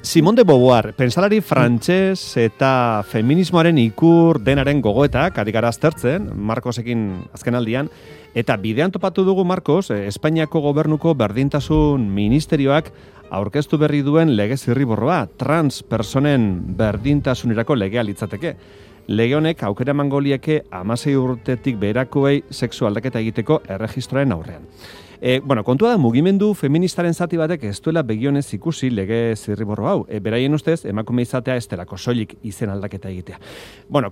Simone de Beauvoir, pentsalari frantses eta feminismoaren ikur denaren gogoetak, ari gara aztertzen, Marcosekin azken aldian, eta bidean topatu dugu, Marcos, Espainiako gobernuko berdintasun ministerioak aurkeztu berri duen lege zirriborroa, trans personen berdintasunerako legea litzateke. Lege honek aukera emango lieke 16 urtetik beherakoei sexu aldaketa egiteko erregistroaren aurrean. Kontua da, mugimendu feministaren zati batek ez duela begionez ikusi lege zirriborro hau. Beraien ustez, emakume izatea ez delako soilik izen aldaketa egitea.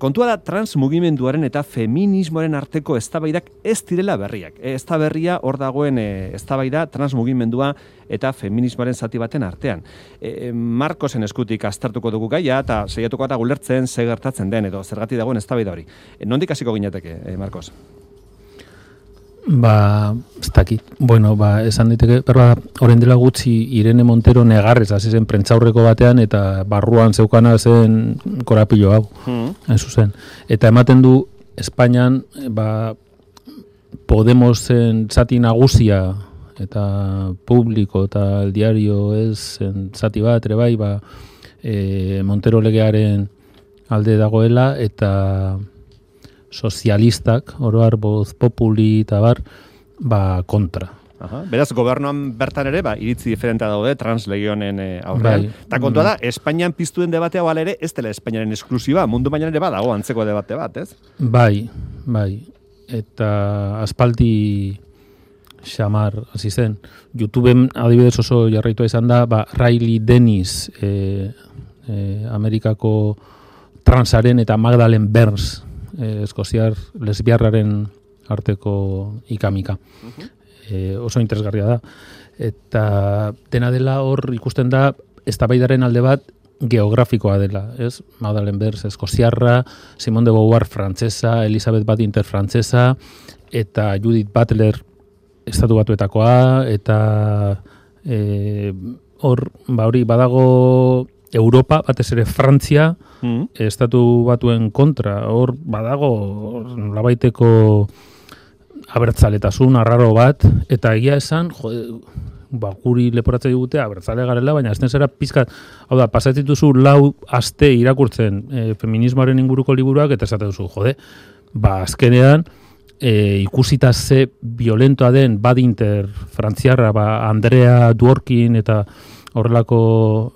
Kontua da, trans mugimenduaren eta feminismoaren arteko eztabaidak ez direla berriak. Ez da berria hor dagoen eztabaida trans mugimendua eta feminismoaren zati baten artean. Marcosen eskutik aztertuko dugu gaia eta saiatuko eta gulertzen ze gertatzen den edo zergatik dagoen eztabaida hori. Nondik hasiko ginateke, Marcos? Ez dakit. Esan diteke, orain dela gutxi Irene Montero negarrez hasi zen prentsaurreko batean eta barruan zeukana zen korapilo hau. Hain zuzen. Eta ematen du Espainian Podemosen zati nagusia eta publiko eta el diario ez zati bat ere bai, Montero legearen alde dagoela eta sozialistak, oroar Voz Populi eta kontra. Beraz, gobernuan bertan ere, iritzi diferentea daude trans legionen aurrean. Eta kontua da, Espainian piztuen debatea bala ere, ez dela Espainiaren esklusiba, mundu mailan ere dago antzeko debate bat, ez? Bai. Eta aspaldi xamar, hasi zen. YouTubeen adibidez oso jarraitua izan da, Riley Dennis, Amerikako transaren eta Magdalene Burns, eskoziar lesbiarraren arteko ikamika. Oso interesgarria da. Eta dena dela hor ikusten da eztabaidaren alde bat geografikoa dela, ez? Magdalene Burns eskoziarra, Simone de Beauvoir frantsesa, Elizabeth Badinter frantsesa eta Judith Butler estatu batuetakoa eta hori badago Europa, batez ere Frantzia, estatu batuen kontra, hor badago labaiteko abertzaletasun arraro bat, eta egia esan, guri leporatzen digute abertzale garela, baina ez zera pizkat, hau da, pasatzituzu 4 aste irakurtzen feminismoaren inguruko liburuak, eta esaten duzu, azkenean, ikusita ze violentoa den Badinter, frantziarra, Andrea Dworkin eta horrelako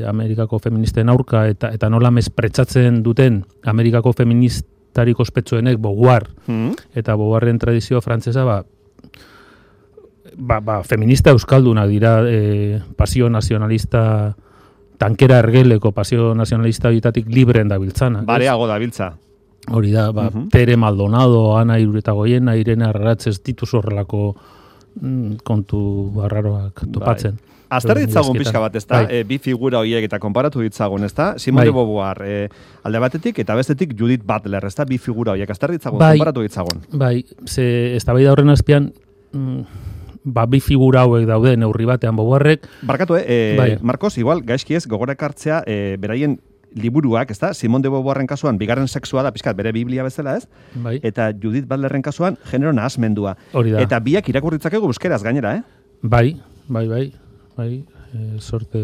Amerikako feministen aurka eta nola mespretxatzen duten Amerikako feministarik ospetsuenek Beauvoir eta Beauvoirren tradizio frantsesa feminista euskaldunak dira pasio nazionalista tankera ergeleko pasio nazionalista bitatik libren dabiltzana. Bareago dabiltza. Hori da, Tere Maldonado, Ana Iruretagoiena, Irene Arraratz ez dituz horrelako kontu barraroak topatzen. Azter ditzagun pixka bat, ez da? Bi figura horiek eta konparatu ditzagun, ez da? Simone de Beauvoir, alde batetik eta bestetik Judith Butler, ez da? Bi figura horiek, azter ditzagun, konparatu ditzagun. Eztabaida horren azpian, bi figura hauek daude neurri batean Beauvoirrek. Barkatu, Marcos, igual, gaizki ez, gogorak hartzea, beraien liburuak, ez da? Simone de Beauvoirren kasuan, bigarren sexua da, pixkat, bere Biblia bezala, ez? Eta Judith Butlerren kasuan, genero nahasmendua. Eta biak irakurritzakegu euskeraz gainera, eh? Bai, sorte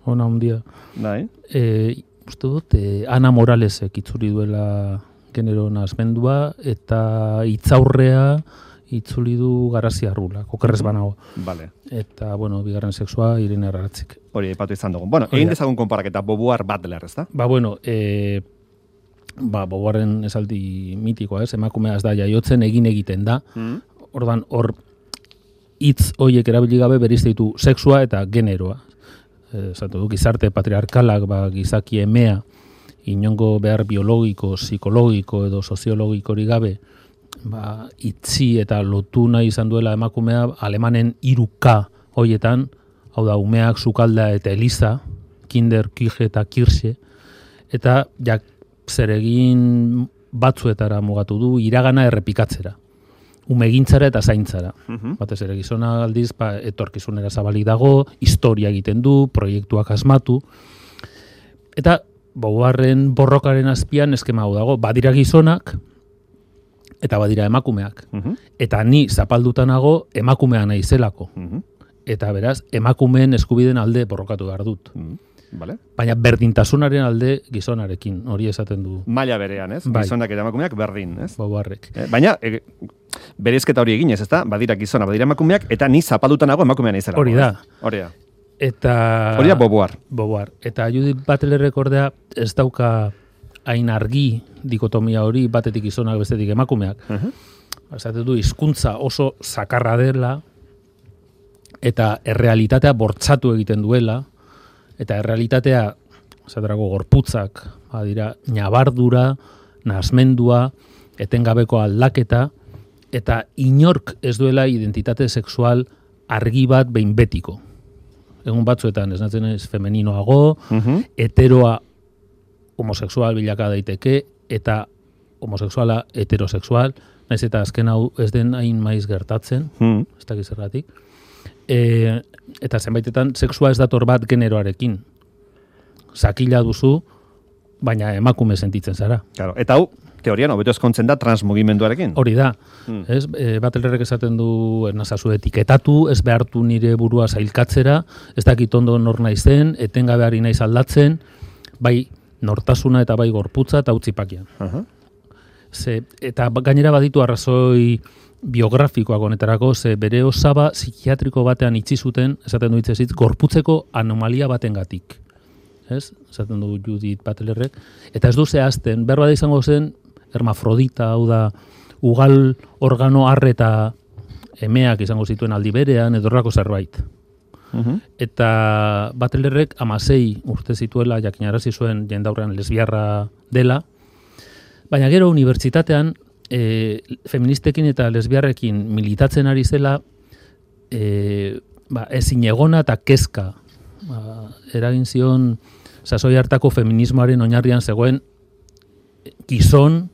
ona handia. Uste dut, Ana Moralesek itzuli duela genero nahasmendua, eta hitzaurrea itzuli du Garazia Arrula, okerrez banago. Eta, bigarren sexua Irene Arraratzik. Hori, aipatu izan dugu. Egin dezagun konparaketa Beauvoir Butler, ez da? Beauvoirren esaldi mitikoa, ez? Emakumea ez da jaiotzen egiten da. Ordan, hor hitz horiek erabili gabe berizte ditu sexua eta generoa. Zatu du, gizarte patriarkalak, gizaki emea, inongo behar biologiko, psikologiko edo soziologikori gabe, itzi eta lotu nahi izan duela emakumea alemanen 3K hoietan, hau da, umeak, sukalda eta eliza, kinder, kije eta kirxe, eta zeregin batzuetara mugatu du, iragana errepikatzera. Umegintzara eta zaintzara. Batez ere gizona aldiz, etorkizunera zabalik dago, historia egiten du, proiektuak asmatu. Eta Beauvoirren borrokaren azpian eskema hau dago, badira gizonak eta badira emakumeak. Eta ni zapaldutanago emakumea nahi zelako. eta beraz, emakumeen eskubideen alde borrokatu behar dut. Vale. Baina berdintasunaren alde gizonarekin, hori esaten du. Maila berean, ez? Bai. Gizonak eta emakumeak berdin, ez? Boboarrek. Baina, bereizketa hori eginez, ezta? Badira gizona, badira emakumeak, eta ni zapalduta nago emakumean izela. Hori da. Hori da. Eta... Hori da Boboar. Boboar. Eta Judith Butlerrek ordea ez dauka hain argi dikotomia hori, batetik gizonak, bestetik emakumeak. Esaten du, hizkuntza oso zakarra dela, eta errealitatea bortzatu egiten duela, eta errealitatea, esaterako gorputzak, badira, nabardura, nasmendua, etengabeko aldaketa, eta inork ez duela identitate sexual argi bat behin betiko. Egun batzuetan, esnatzen ez femeninoago, heteroa homosexual bilaka daiteke, eta homosexuala heterosexual, naiz eta azken hau ez den hain maiz gertatzen, ez dakiz zergatik. Eta zenbaitetan sexua ez dator bat generoarekin. Sakila duzu, baina emakume sentitzen zara. Claro. Eta hau, teorian, hobeto ezkontzen da transmugimenduarekin. Hori da. Ez, Butlerrek esaten du ernazazu etiketatu, ez behartu nire burua zailkatzera, ez dakit ondo nor naizen, etengabe ari naiz aldatzen, bai nortasuna eta bai gorputza eta utzipakian. Eta gainera baditu arrazoi biografikoak honetarako, ze bere osaba psikiatriko batean itxi zuten, esaten du hitzez, gorputzeko anomalia batengatik. Ez? Esaten du Judith Butlerrek. Eta ez du zehazten, behar bada izango zen, hermafrodita, hau da, ugal organo arre eta emeak izango zituen aldi berean, edorrako zerbait. Eta Butlerrek 16 urte zituela, jakinarazi zuen jendaurrean lesbiarra dela, baina gero unibertsitatean, feministekin eta lesbiarrekin militatzen ari zela, ezin egona eta kezka. Eragin zion sasoi hartako feminismoaren oinarrian zegoen gizon,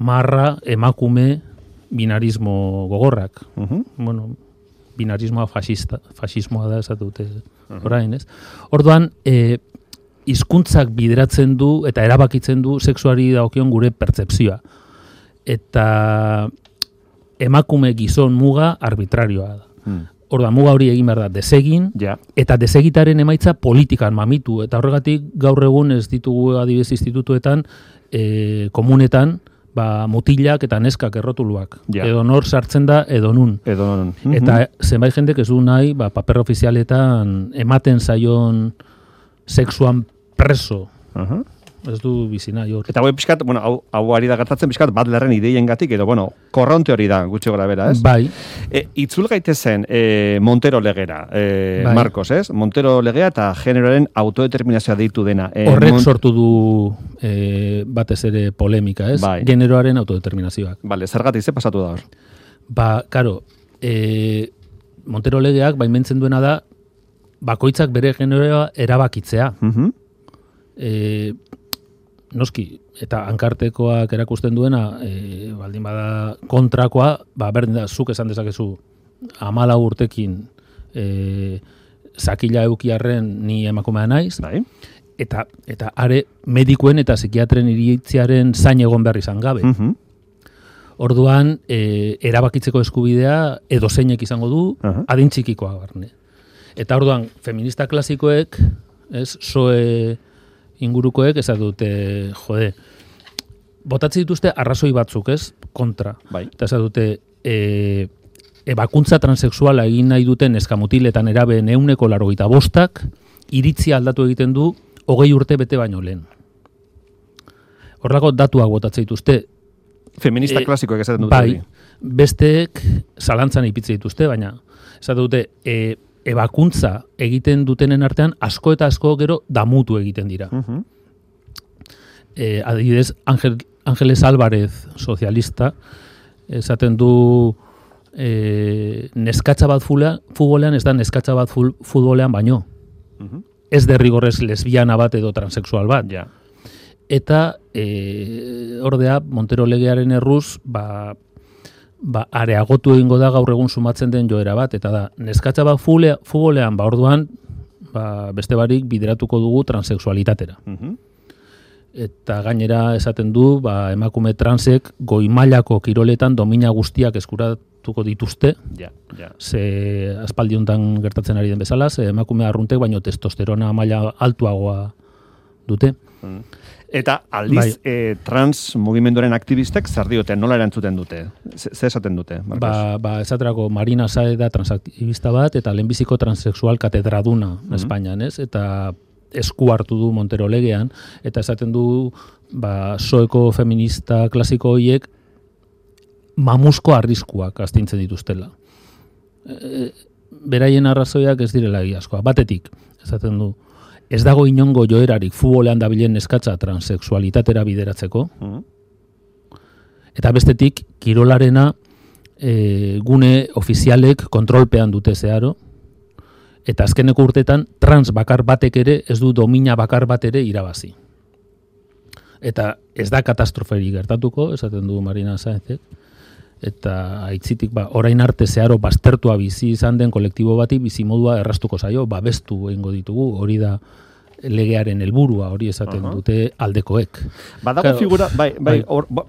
marra, emakume, binarismo gogorrak. Bueno, binarismoa fasismoa da esatu dute orain, ez? Orduan, hizkuntzak bideratzen du eta erabakitzen du sexuari dagokion gure pertzepzioa. Eta emakume gizon muga arbitrarioa da. Orduan, muga hori egin behar da desegin, eta desegitaren emaitza politikan mamitu. Eta horregatik gaur egun ez ditugu adibidez institutuetan, komunetan, mutilak eta neskak errotuluak. Edo nor sartzen da, edo nun. Eta zenbait jendek ez du nahi, paper ofizialetan ematen zaion sexuan preso. Ez du bizina jor. Eta hau pixkat, hau ari da gertatzen pixkat Butlerren ideiengatik, edo, korronte hori da, gutxi gora bera, ez? Bai. Itzul gaitezen Montero legera, Marcos, ez? Montero legea eta generoaren autodeterminazioa deitu dena. Horrek sortu du batez ere polemika, ez? Bai. Generoaren autodeterminazioak. Bale, zergatik, ze pasatu da hor? Karo, Montero legeak baimentzen duena da, bakoitzak bere generoa erabakitzea. Noski, eta hankartekoak erakusten duena, baldin bada kontrakoa, berdin da, zuk esan dezakezu 14 urtekin zakila eukiarren ni emakumea naiz, eta are medikuen eta psikiatren iritziaren zain egon behar izan gabe. Orduan, erabakitzeko eskubidea edo zeinek izango du, adin txikikoa barne. Eta orduan, feminista klasikoek, soe ingurukoek ez dute, botatzen dituzte arrazoi batzuk, ez? Kontra. Eta ez dute, ebakuntza transexuala egin nahi duten eskamutiletan erabe 185, iritzia aldatu egiten du 20 urte bete baino lehen. Horrelako datuak botatzen dituzte. Feminista klasikoek esaten dute. Bai, besteek zalantzan ipitze dituzte, baina esaten dute, ebakuntza egiten dutenen artean asko eta asko gero damutu egiten dira. Adibidez, Ángeles Álvarez, sozialista, esaten du neskatxa bat futbolean ez da neskatxa bat futbolean baino. Ez derrigorrez lesbiana bat edo transexual bat. Eta ordea Montero legearen erruz areagotu egingo da gaur egun sumatzen den joera bat, eta da, neskatxa bat futbolean, orduan, beste barik bideratuko dugu transexualitatera. Eta gainera esaten du, emakume transek goi mailako kiroletan domina guztiak eskuratuko dituzte. Ja. Ze aspaldi hontan gertatzen ari den bezala, ze emakume arruntek baino testosterona maila altuagoa dute. Eta aldiz, trans mugimenduaren aktivistek zer diote, nola erantzuten dute? Ze esaten dute, Marcos? Esaterako Marina Saez da transaktivista bat, eta lehenbiziko transexual katedraduna Espainian, ez? Eta esku hartu du Montero legean, eta esaten du, soeko feminista klasiko horiek mamusko arriskuak astintzen dituztela. Beraien arrazoiak ez direla egiazkoa. Batetik, esaten du, ez dago inongo joerarik futbolean dabilen eskatza transexualitatera bideratzeko. Eta bestetik, kirolarena gune ofizialek kontrolpean dute zeharo. Eta azkeneko urtetan, trans bakar batek ere, ez du domina bakar bat ere irabazi. Eta ez da katastroferi gertatuko, esaten du Marina Saezek. Eta aitzitik, orain arte zeharo baztertua bizi izan den kolektibo bati bizimodua erraztuko zaio, babestu egingo ditugu, hori da legearen helburua, hori esaten dute aldekoek. Badago figura,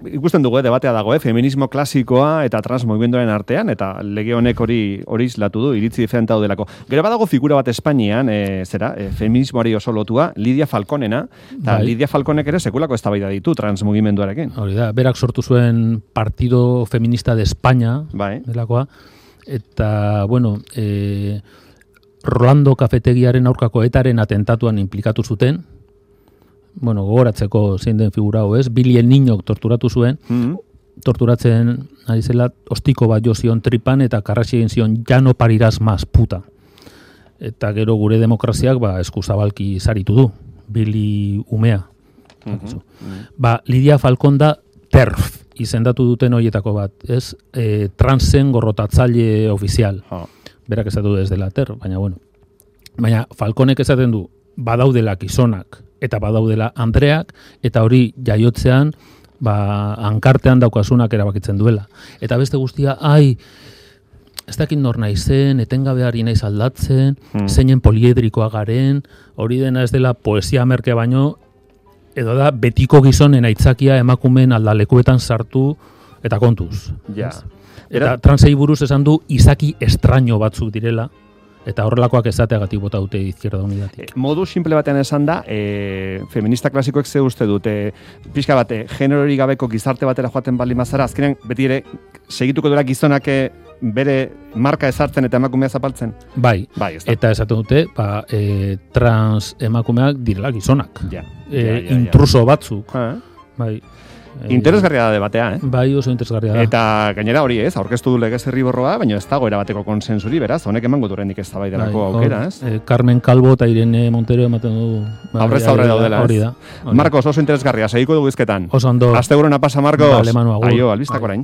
ikusten dugu, debatea dago, feminismo klasikoa eta trans mugimenduaren artean, eta lege honek hori islatu du, iritzi diferenta daudelako. Gero badago figura bat Espainian, feminismoari oso lotua, Lidia Falconena, eta Lidia Falconek ere sekulako eztabaida ditu trans mugimenduarekin. Hori da, berak sortu zuen Partido Feminista de España, delakoa, eta, bueno, Rolando kafetegiaren aurkako etaren atentatuan implikatu zuten, bueno, gogoratzeko zein den figura ez, Billy el Niñok torturatu zuen, torturatzen ari zela, ostiko bat jo zion tripan eta karraxi egin zion, ja no parirás más, puta. Eta gero gure demokraziak eskuzabalki saritu du, Billy umea. Lidia Falcon da TERF, izendatu duten horietako bat, ez? Transen gorrotatzaile ofizial. Berak esatu ez dela TER, baina bueno. Baina Falconek esaten du, badaudela gizonak eta badaudela andreak, eta hori jaiotzean, hankartean daukasunak erabakitzen duela. Eta beste guztia, ez dakit nor naizen, etengabe ari naiz aldatzen, zeinen poliedrikoa garen, hori dena ez dela poesia merke baino, edo da betiko gizonen aitzakia emakumeen aldalekuetan sartu eta kontuz. Ja. Eta transei buruz esan du izaki estraño batzuk direla, eta horrelakoak ezateagatik bota dute Izquierda Unidatik. Modu simple batean esan da, feminista klasikoek ze uste dute, pixka bate, generori gabeko gizarte batera joaten baldin bazara, azkenean beti ere segituko duela gizonak bere marka ezartzen eta emakumea zapaltzen? Bai, eta esaten dute, trans emakumeak direla gizonak. Intruso batzuk. Bai. Interesgarria da debatea, Bai, oso interesgarria da. Eta gainera hori aurkeztu du legez herriborroa, baina ez dago erabateko konsensuri, beraz, honek emango durendik ez tabaiderako aukera, ez? Carmen Calvo eta Irene Montero ematen du. Aurrez aurre daudela, ez? Marcos, oso interesgarria, segiko dugu izketan. Oso ondo. Asteburona pasa, Marcos. Vale, Manu, agur. Aio, albistak orain.